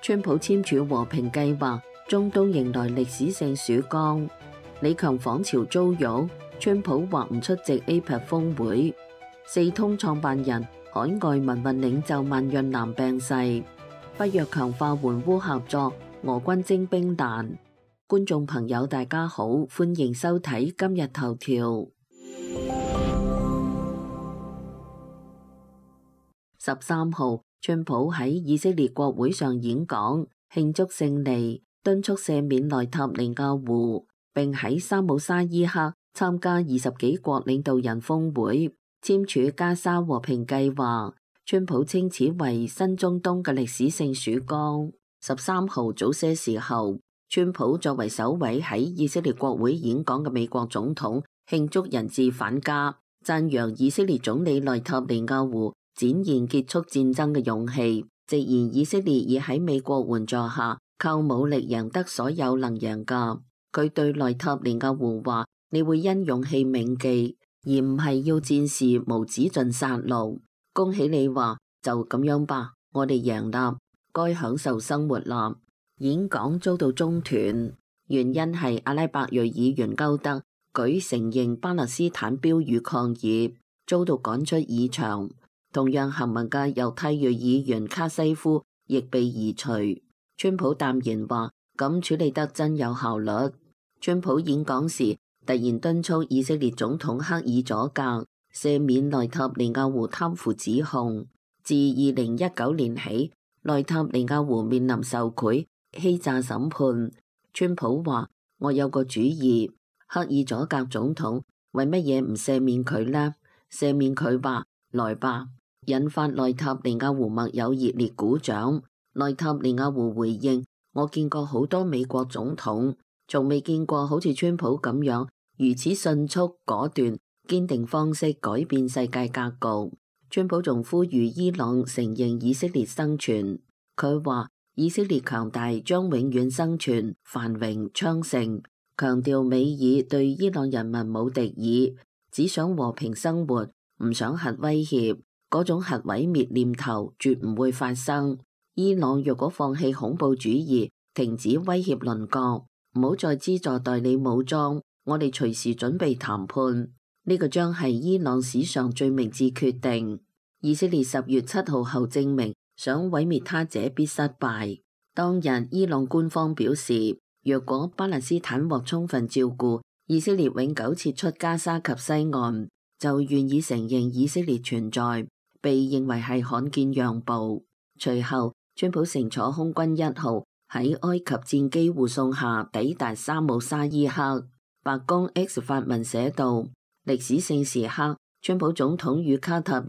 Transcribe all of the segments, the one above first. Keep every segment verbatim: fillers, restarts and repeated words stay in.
川普簽署和平計劃，中東迎來歷史性曙光。李強訪朝遭辱，川普或唔出席 A P E C 峰會。四通創辦人、海外民運領袖萬潤南病逝。北約強化援烏合作，俄軍徵兵難。觀眾朋友大家好，歡迎收睇今日頭條。十三號，川普喺以色列國會上演講，慶祝勝利，敦促赦免內塔尼亞胡，並喺沙姆沙伊克參加二十幾國領導人峰會，簽署加沙和平計劃。川普稱此為新中東嘅歷史性曙光。十三號早些時候，川普作為首位喺以色列國會演講嘅美國總統，慶祝人質返家，讚揚以色列總理內塔尼亞胡展現結束戰爭嘅勇氣，直言以色列已喺美國援助下靠武力贏得所有能贏㗎。佢對內塔尼亞胡話：你會因勇氣銘記，而唔係要戰事無止盡殺戮。恭喜你話，就咁樣吧，我哋贏啦，該享受生活啦。演講遭到中斷，原因係阿拉伯裔議員高德舉承認巴勒斯坦標語抗議，遭到趕出議場。同樣行文嘅猶太裔議員卡西夫亦被移除。川普淡然話：咁處理得真有效率。川普演講時突然敦促以色列總統克爾佐格赦免內塔尼亞胡貪腐指控。自二零一九年起，內塔尼亞胡面臨受賄、欺詐審判。川普話：我有個主意，克爾佐格總統為乜嘢唔赦免佢呢？赦免佢吧，來吧。引發內塔尼亞胡默友熱烈鼓掌。內塔尼亞胡回應：我見過好多美國總統，從未見過好似川普咁樣如此迅速、果斷、堅定方式改變世界格局。川普仲呼籲伊朗承認以色列生存。佢話：以色列強大將永遠生存、繁榮昌盛。強調美爾對伊朗人民冇敵意，只想和平生活，唔想核威脅。嗰種核毀滅念頭絕唔會發生。伊朗若果放棄恐怖主義，停止威脅鄰國，唔好再資助代理武裝，我哋隨時準備談判。呢個將係伊朗史上最明智決定。以色列十月七號後證明，想毀滅他者必失敗。當日伊朗官方表示，若果巴勒斯坦獲充分照顧，以色列永久撤出加沙及西岸，就願意承認以色列存在。被認為係罕見讓步。隨後，川普乘坐空軍一號喺埃及戰機護送下抵達沙姆沙伊克。白宮 X 發文寫道：歷史性時刻，川普總統與卡塔爾、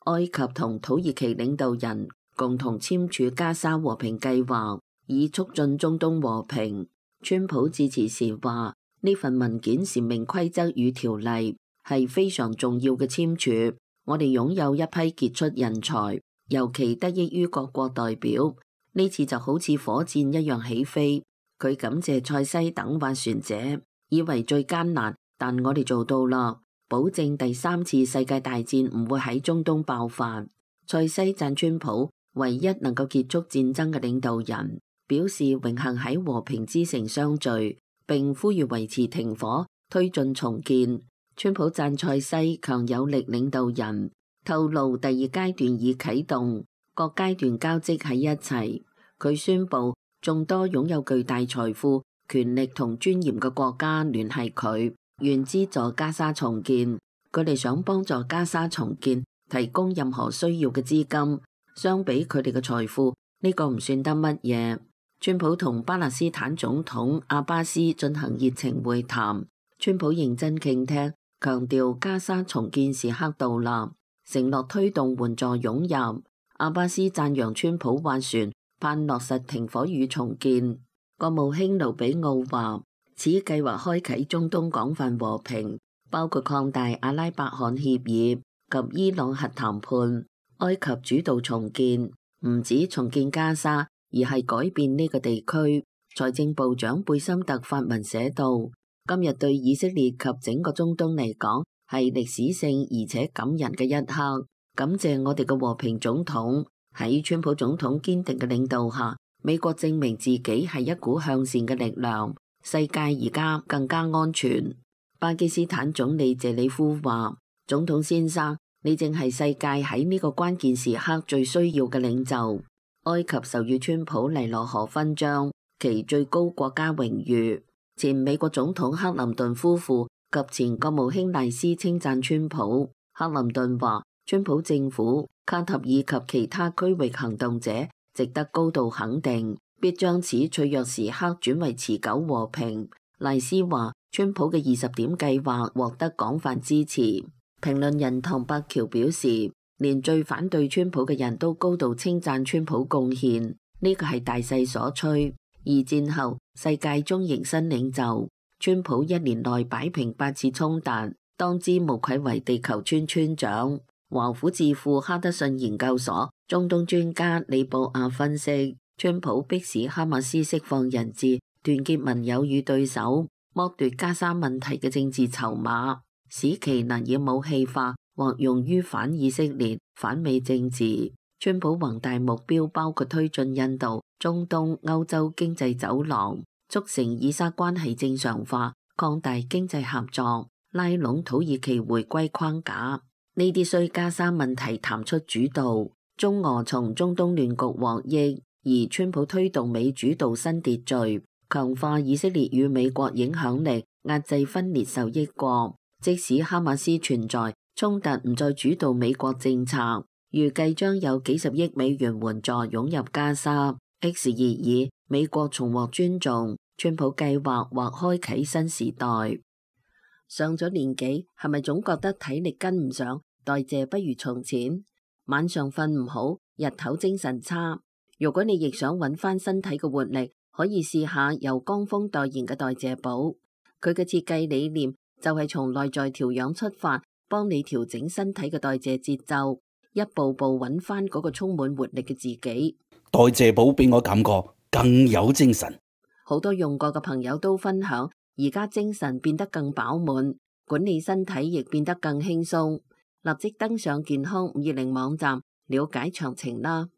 埃及同土耳其領導人共同簽署加沙和平計劃，以促進中東和平。川普致辭時話：呢份文件闡明規則與條例，係非常重要嘅簽署。我哋擁有一批傑出人才，尤其得益於各國代表。呢次就好似火箭一樣起飛。佢感謝塞西等斡旋者，以為最艱難，但我哋做到啦，保證第三次世界大戰唔會喺中東爆發。塞西讚川普唯一能夠結束戰爭嘅領導人，表示榮幸喺和平之城相聚，並呼籲維持停火，推進重建。川普讚塞西強有力領導人，透露第二階段已啟動，各階段交織喺一齊。佢宣布眾多擁有巨大財富、權力同尊嚴嘅國家聯繫佢，願資助加沙重建。佢哋想幫助加沙重建，提供任何需要嘅資金。相比佢哋嘅財富，呢個唔算得乜嘢。川普同巴勒斯坦總統阿巴斯進行熱情會談，川普認真傾聽，強調加沙重建時刻到啦，承諾推動援助湧入。阿巴斯讚揚川普斡旋，盼落實停火與重建。國務卿盧比奧話：此計劃開啟中東廣泛和平，包括擴大阿拉伯罕協議及伊朗核談判。埃及主導重建，唔止重建加沙，而係改變呢個地區。財政部長貝森特發文寫道：今日對以色列及整個中東嚟講係歷史性而且感人嘅一刻。感謝我哋嘅和平總統喺川普總統堅定嘅領導下，美國證明自己係一股向善嘅力量，世界而家更加安全。巴基斯坦總理謝里夫話：總統先生，你正係世界喺呢個關鍵時刻最需要嘅領袖。埃及授予川普尼羅河勳章，其最高國家榮譽。前美國總統克林頓夫婦及前國務卿賴斯稱讚川普。克林頓話：川普政府、卡塔爾及其他區域行動者值得高度肯定，必將此脆弱時刻轉為持久和平。賴斯話：川普嘅二十點計劃獲得廣泛支持。評論人唐伯喬表示，連最反對川普嘅人都高度稱讚川普貢獻，呢個係大勢所趨。二戰後，世界中迎新領袖，川普一年內擺平八次衝突，當之無愧為地球村村長。華府智庫哈德遜研究所中東專家李布亞分析，川普迫使哈馬斯釋放人質，團結盟友與對手，剝奪加沙問題嘅政治籌碼，使其能以武器化或用於反以色列、反美政治。川普宏大目標包括推進印度、中東、歐洲經濟走廊，促成以沙關係正常化，擴大經濟合作，拉攏土耳其回歸框架。呢啲需加沙問題談出主導，中俄從中東亂局獲益，而川普推動美主導新秩序，強化以色列與美國影響力，壓制分裂受益國。即使哈馬斯存在，衝突唔再主導美國政策，預計將有幾十億美元援助湧入加沙。X 熱議，美國重獲尊重，川普計劃或開啟新時代。上咗年紀，係咪總覺得體力跟唔上，代謝不如從前？晚上瞓唔好，日頭精神差。如果你亦想揾翻身體嘅活力，可以試下由江峰代言嘅代謝寶。佢嘅設計理念就係從內在調養出發，幫你調整身體嘅代謝節奏，一步步揾翻嗰個充滿活力嘅自己。代謝寶俾我感覺更有精神。好多用過嘅朋友都分享，而家精神變得更飽滿，管理身體亦變得更輕鬆。立即登上健康五二零網站了解詳情啦。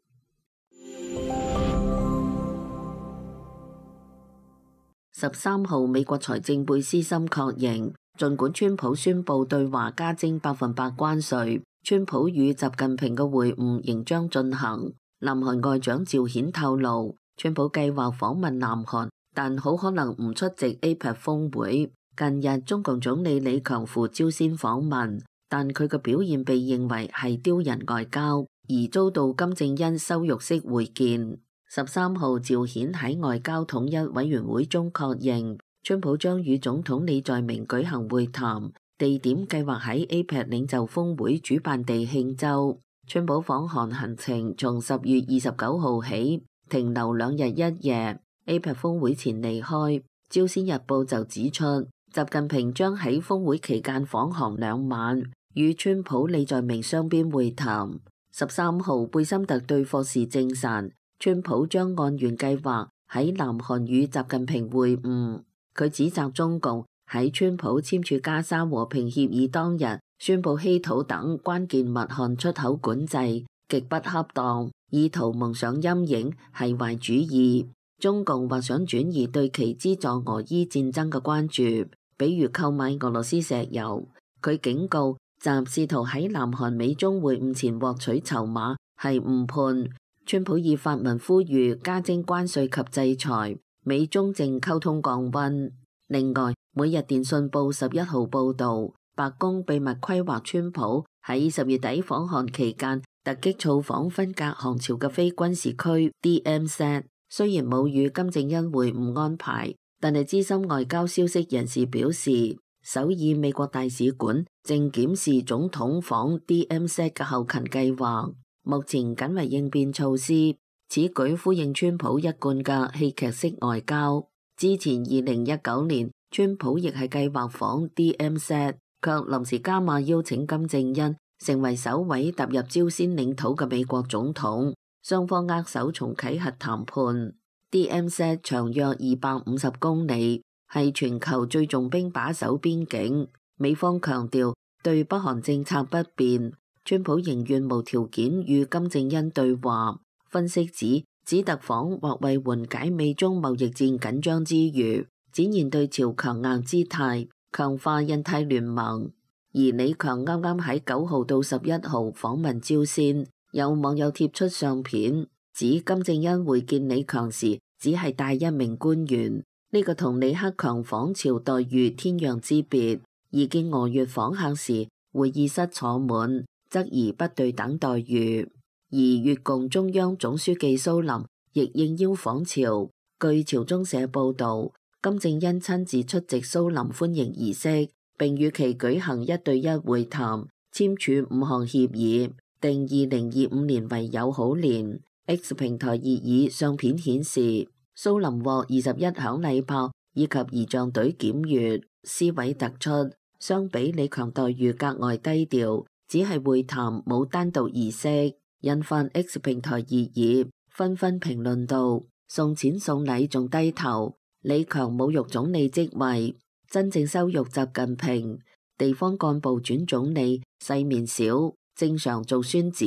十三號，美國財政貝斯森確認，儘管川普宣布對華加徵百分百關稅，川普與習近平嘅會晤仍將進行。南韓外長趙顯透露，川普計劃訪問南韓，但好可能唔出席 A P E C 峰會。近日，中共總理李強赴朝鮮訪問，但佢嘅表現被認為係丟人外交，而遭到金正恩羞辱式會見。十三號，趙顯喺外交統一委員會中確認，川普將與總統李在明舉行會談，地點計劃喺 A P E C 領袖峰會主辦地慶州。川普訪韓行程從十月二十九號起停留兩日一夜 ，A P E C 峰會前離開。朝鮮日報就指出，習近平將喺峰會期間訪韓兩晚，與川普、李在明雙邊會談。十三號，貝森特對霍士證實，川普將按原計劃喺南韓與習近平會晤。佢指責中共喺川普簽署加沙和平協議當日宣布稀土等關鍵物項出口管制，極不恰當，意圖蒙上陰影，係壞主意。中共或想轉移對其資助俄伊戰爭嘅關注，比如購買俄羅斯石油。佢警告，習試圖喺南韓美中會晤前獲取籌碼係誤判。川普以發文呼籲加徵關稅及制裁，美中正溝通降溫。另外，每日電訊報十一號報導，白宮秘密規劃川普喺十月底訪韓期間突擊造訪分隔韓朝嘅非軍事區 D M Z。雖然冇與金正恩會晤安排，但係資深外交消息人士表示，首爾美國大使館正檢視總統訪 D M Z 嘅後勤計劃，目前僅為應變措施。此舉呼應川普一貫嘅戲劇式外交。之前二零一九年，川普亦係計劃訪 D M Z， 卻臨時加碼邀請金正恩成為首位踏入朝鮮領土嘅美國總統。雙方握手重啟核談判。D M Z 長約二百五十公里，係全球最重兵把守邊境。美方強調對北韓政策不變，川普仍願無條件與金正恩對話。分析指指特訪或為緩解美中貿易戰緊張之餘，展現對朝強硬姿態，強化印太聯盟。而李強啱啱喺九號到十一號訪問朝鮮，有網友貼出相片，指金正恩會見李強時只係帶一名官員，呢、這個同李克強訪朝待遇天壤之別。而見俄越訪客時，會議室坐滿，則而不對等待遇。而越共中央總書記蘇林亦應邀訪朝。據朝中社報導，金正恩親自出席蘇林歡迎儀式，並與其舉行一對一會談，簽署五項協議，定二零二五年為友好年。X 平台熱議相片顯示，蘇林獲二十一響禮炮以及儀仗隊檢閱，詩位突出。相比李強待遇格外低調，只係會談冇單獨儀式，引發 X 平台熱議，紛紛評論道：送錢送禮仲低頭，李強侮辱總理職位，真正羞辱習近平。地方幹部轉總理，世面少，正常做孫子。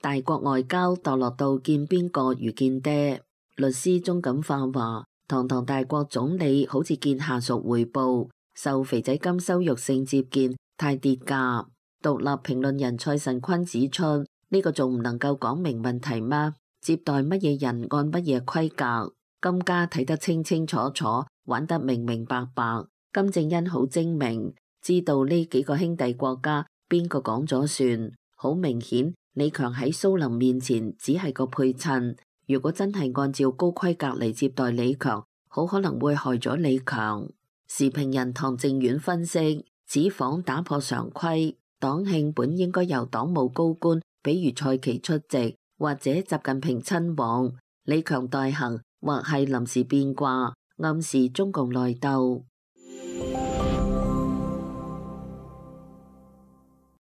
大國外交墮落到見邊個如見爹。律師鍾錦化話：堂堂大國總理好似見下屬彙報，受肥仔金羞辱性接見，太跌價。獨立評論人蔡慎坤指出，呢、這個仲唔能夠講明問題嗎？接待乜嘢人按乜嘢規格？金家睇得清清楚楚，玩得明明白白。金正恩好精明，知道呢幾個兄弟國家邊個講咗算。好明顯，李強喺蘇林面前只係個配襯。如果真係按照高規格嚟接待李強，好可能會害咗李強。時評人唐正遠分析，此訪打破常規，黨慶本應該由黨務高官，比如蔡奇出席，或者習近平親往。李強代行，或係臨時變卦，暗示中共內鬥。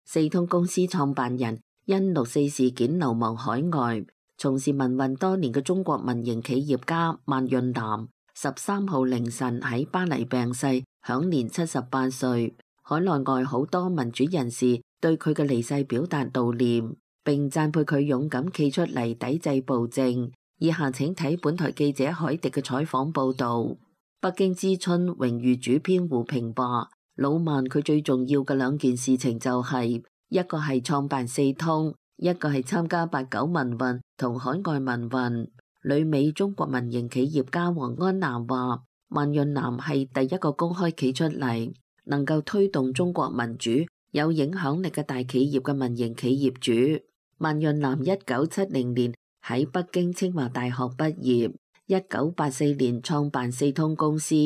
四通公司創辦人因六四事件流亡海外，從事民運多年嘅中國民營企業家萬潤南十三號凌晨喺巴黎病逝，享年七十八歲。海內外好多民主人士對佢嘅離世表達悼念，並讚佩佢勇敢企出嚟抵制暴政。以下請睇本台記者海迪嘅採訪報導。北京之春榮譽主編胡平話：老萬佢最重要嘅兩件事情就係、是、一個係創辦四通，一個係參加八九民運同海外民運。旅美中國民營企業家黃安南話：萬潤南係第一個公開企出嚟，能夠推動中國民主、有影響力嘅大企業嘅民營企業主。萬潤南一九七零年喺北京清華大學畢業，一九八四年創辦四通公司，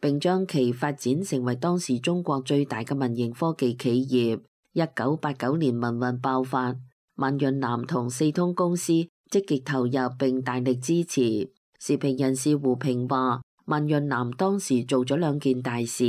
並將其發展成為當時中國最大嘅民營科技企業。一九八九年民運爆發，萬潤南同四通公司積極投入並大力支持。時評人士胡平話：萬潤南當時做咗兩件大事，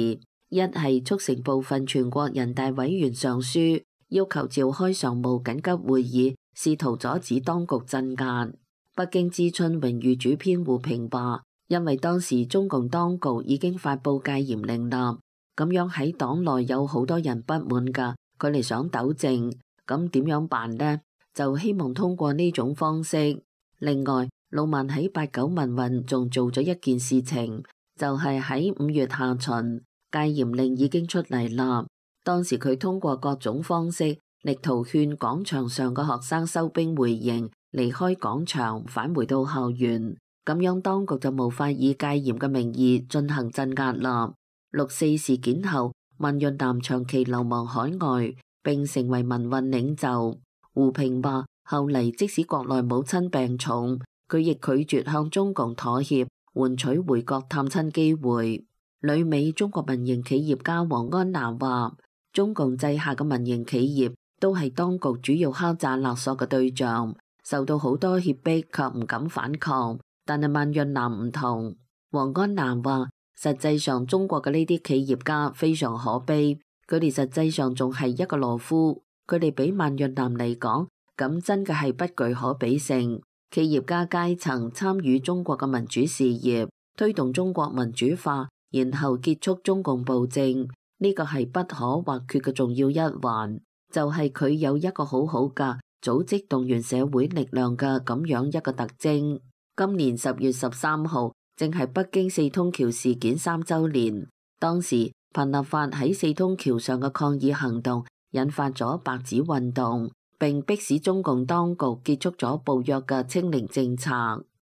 一係促成部分全國人大委員上書，要求召開常務緊急會議，試圖阻止當局鎮壓。北京之春榮譽主編胡平話：因為當時中共當局已經發布戒嚴令啦，咁樣喺黨內有好多人不滿㗎，佢哋想糾正，咁點樣辦呢？就希望通過呢種方式。另外，老萬喺八九民運仲做咗一件事情，就係喺五月下旬，戒嚴令已經出嚟啦。當時佢通過各種方式，力圖勸廣場上嘅學生收兵回營，離開廣場，返回到校園。咁樣當局就無法以戒嚴嘅名義進行鎮壓啦。六四事件後，萬潤南長期流亡海外，並成為民運領袖。胡平話：後嚟即使國內母親病重，佢亦拒絕向中共妥協，換取回國探親機會。旅美中國民營企業家黃安南話：中共制下嘅民營企業都係當局主要敲詐勒索嘅對象，受到好多脅迫卻唔敢反抗。但係萬潤南唔同。黃安南話：實際上中國嘅呢啲企業家非常可悲，佢哋實際上仲係一個懦夫。佢哋比萬潤南嚟講，咁真嘅係不具可比性。企業家階層參與中國嘅民主事業，推動中國民主化，然後結束中共暴政，呢個係不可或缺嘅重要一環。就係佢有一個好好嘅組織動員社會力量嘅咁樣一個特徵。今年十月十三號正係北京四通橋事件三週年，當時彭立發喺四通橋上嘅抗議行動引發咗白紙運動，並迫使中共當局結束咗暴虐嘅清零政策。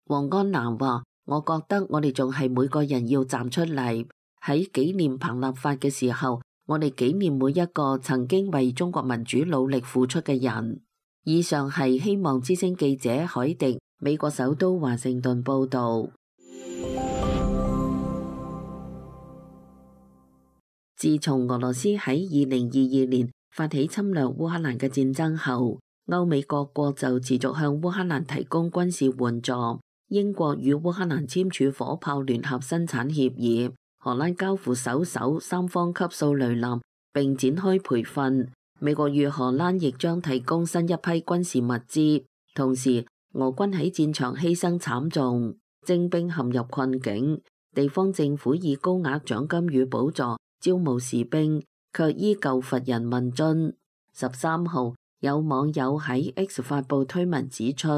王安南話：我覺得我哋仲係每個人要站出嚟，喺紀念彭立發嘅時候，我哋紀念每一個曾經為中國民主努力付出嘅人。以上係希望之聲記者海迪美國首都華盛頓報道。自從俄羅斯喺二零二二年發起侵略烏克蘭嘅戰爭後，歐美各國就持續向烏克蘭提供軍事援助。英國與烏克蘭簽署火炮聯合生產協議，荷蘭交付首艘三方級掃雷艦並展開培訓。美國與荷蘭亦將提供新一批軍事物資。同時，俄軍喺戰場犧牲慘重，徵兵陷入困境。地方政府以高額獎金與補助招募士兵，卻依舊乏人問津。十三號，有網友喺 X 發布推文指出，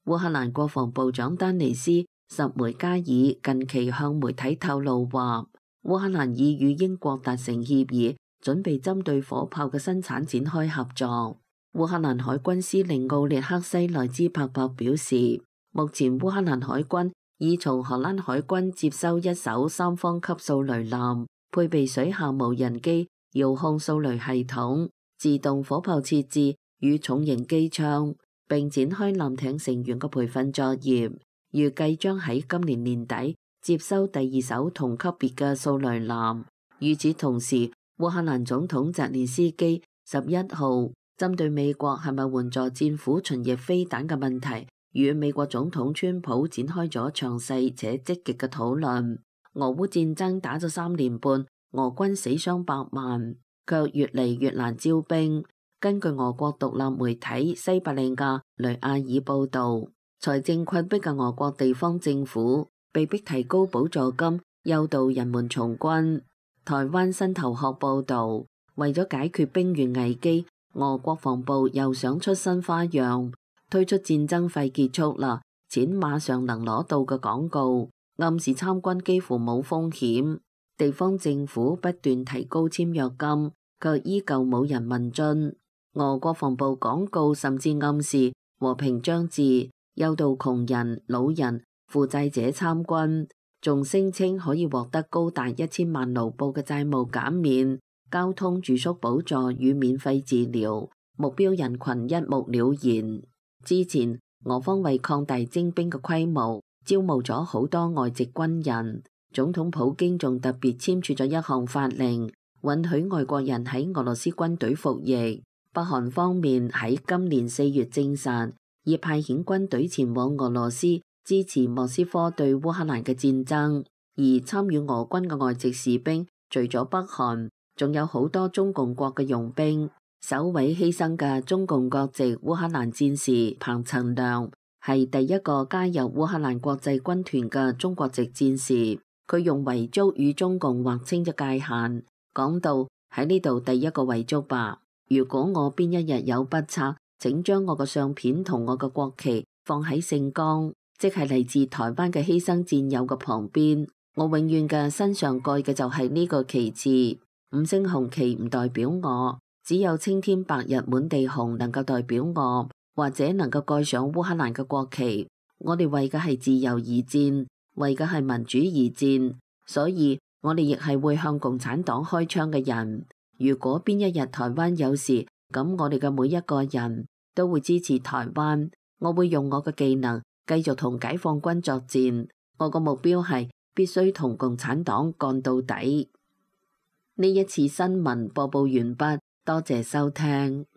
烏克蘭國防部長丹尼斯·什梅加爾近期向媒體透露話，烏克蘭已與英國達成協議，準備針對火炮嘅生產展開合作。烏克蘭海軍司令奧列克西內茲帕伯表示，目前烏克蘭海軍已從荷蘭海軍接收一艘三方級掃雷艦，配備水下無人機、遙控掃雷系統、自動火炮設置與重型機槍，並展開艦艇成員嘅培訓作業，預計將喺今年年底接收第二艘同級別嘅掃雷艦。與此同時，烏克蘭總統澤連斯基十一號針對美國係咪援助戰斧巡弋飛彈嘅問題，與美國總統川普展開咗詳細且積極嘅討論。俄烏戰爭打咗三年半，俄軍死傷百萬，卻越嚟越難招兵。根據俄國獨立媒體西伯利亞雷亞爾報導，財政困迫嘅俄國地方政府被迫提高補助金，誘導人們從軍。台灣新頭殼報導，為咗解決兵源危機，俄國防部又想出新花樣，推出戰爭費結束啦，錢馬上能攞到嘅廣告，暗示參軍幾乎冇風險。地方政府不斷提高簽約金，卻依舊冇人問津。俄國防部廣告甚至暗示和平將至，誘導窮人、老人、負債者參軍，仲聲稱可以獲得高達一千萬盧布嘅債務減免、交通住宿補助與免費治療，目標人群一目了然。之前俄方為擴大徵兵嘅規模，招募咗好多外籍軍人。總統普京仲特別簽署咗一項法令，允許外國人喺俄羅斯軍隊服役。北韓方面喺今年四月證實，已派遣軍隊前往俄羅斯支持莫斯科對烏克蘭嘅戰爭。而參與俄軍嘅外籍士兵，除咗北韓，仲有好多中共國嘅傭兵。首位犧牲嘅中共國籍烏克蘭戰士彭陳亮，係第一個加入烏克蘭國際軍團嘅中國籍戰士。佢用遺囑與中共劃清咗界限，講到喺呢度第一個遺囑吧。如果我邊一日有不測，請將我嘅相片同我嘅國旗放喺聖岡，即係嚟自台灣嘅犧牲戰友嘅旁邊。我永遠嘅身上蓋嘅就係呢個旗幟，五星紅旗唔代表我，只有青天白日滿地紅能夠代表我，或者能夠蓋上烏克蘭嘅國旗。我哋為嘅係自由而戰，為嘅係民主而戰，所以我哋亦係會向共產黨開槍嘅人。如果邊一日台灣有事，咁我哋嘅每一個人都會支持台灣。我會用我嘅技能繼續同解放軍作戰。我個目標係必須同共產黨幹到底。呢一次新聞播報完畢，多謝收聽。